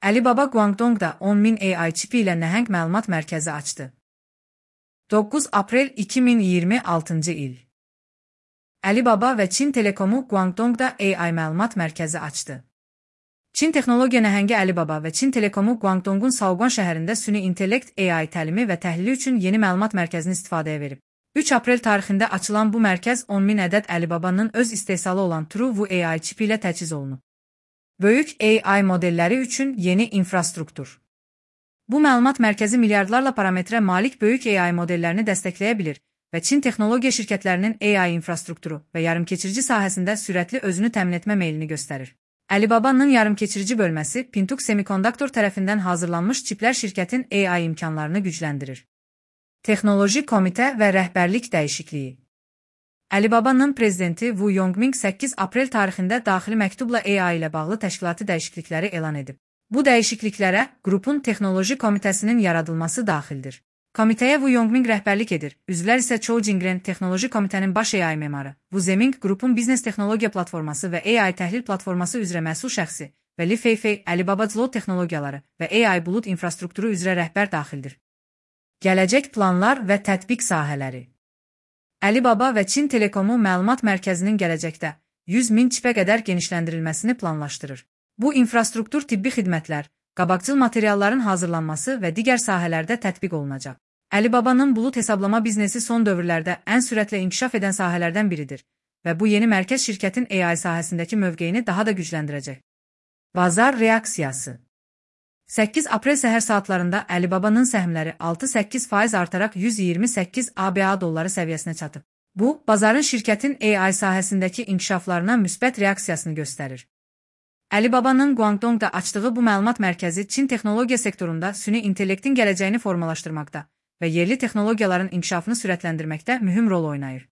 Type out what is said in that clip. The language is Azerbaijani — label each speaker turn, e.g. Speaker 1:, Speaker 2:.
Speaker 1: Alibaba Guangdongda 10.000 AI çipi ilə nəhəng məlumat mərkəzi açdı. 9 aprel 2026 il. Alibaba və Çin Telekomu Guangdongda AI məlumat mərkəzi açdı. Çin texnologiya nəhəngi Alibaba və Çin Telekomu Guangdongun Shaoguan şəhərində süni intellekt AI təlimi və təhlili üçün yeni məlumat mərkəzini istifadəyə verib. 3 aprel tarixində açılan bu mərkəz 10.000 ədəd Alibabanın öz istehsalı olan Truvu AI çipi ilə təchiz olunub. Böyük AI modelləri üçün yeni infrastruktur. Bu məlumat mərkəzi milyardlarla parametrə malik böyük AI modellərini dəstəkləyə bilir və Çin texnologiya şirkətlərinin AI infrastrukturu və yarımkeçirici sahəsində sürətli özünü təmin etmə meylini göstərir. Alibabanın yarımkeçirici bölməsi Pingtu Semiconductor tərəfindən hazırlanmış çiplər şirkətin AI imkanlarını gücləndirir. Texnoloji komitə və rəhbərlik dəyişikliyi. Alibabanın prezidenti Wu Yongming 8 aprel tarixində daxili məktubla AI ilə bağlı təşkilati dəyişiklikləri elan edib. Bu dəyişikliklərə qrupun texnoloji komitəsinin yaradılması daxildir. Komitəyə Wu Yongming rəhbərlik edir, üzvlər isə Chou Jingren texnoloji komitənin baş AI memarı, Wu Zeming qrupun biznes texnologiya platforması və AI təhlil platforması üzrə məsul şəxsi və Li Feifei Alibaba Cloud texnologiyaları və AI bulut infrastrukturu üzrə rəhbər daxildir. Gələcək planlar və tətbiq sahələri. Alibaba və Çin Telekomu məlumat mərkəzinin gələcəkdə 100.000 çipə qədər genişləndirilməsini planlaşdırır. Bu infrastruktur tibbi xidmətlər, qabaqcıl materialların hazırlanması və digər sahələrdə tətbiq olunacaq. Alibabanın bulut hesablama biznesi son dövrlərdə ən sürətlə inkişaf edən sahələrdən biridir və bu yeni mərkəz şirkətin AI sahəsindəki mövqeyini daha da gücləndirəcək. Bazar reaksiyası. 8 aprel səhər saatlarında Alibabanın səhmləri 6-8% artaraq 128 ABA dolları səviyyəsinə çatıb. Bu, bazarın şirkətin AI sahəsindəki inkişaflarına müsbət reaksiyasını göstərir. Alibabanın Guangdongda açdığı bu məlumat mərkəzi Çin texnologiya sektorunda süni intellektin gələcəyini formalaşdırmaqda və yerli texnologiyaların inkişafını sürətləndirməkdə mühüm rol oynayır.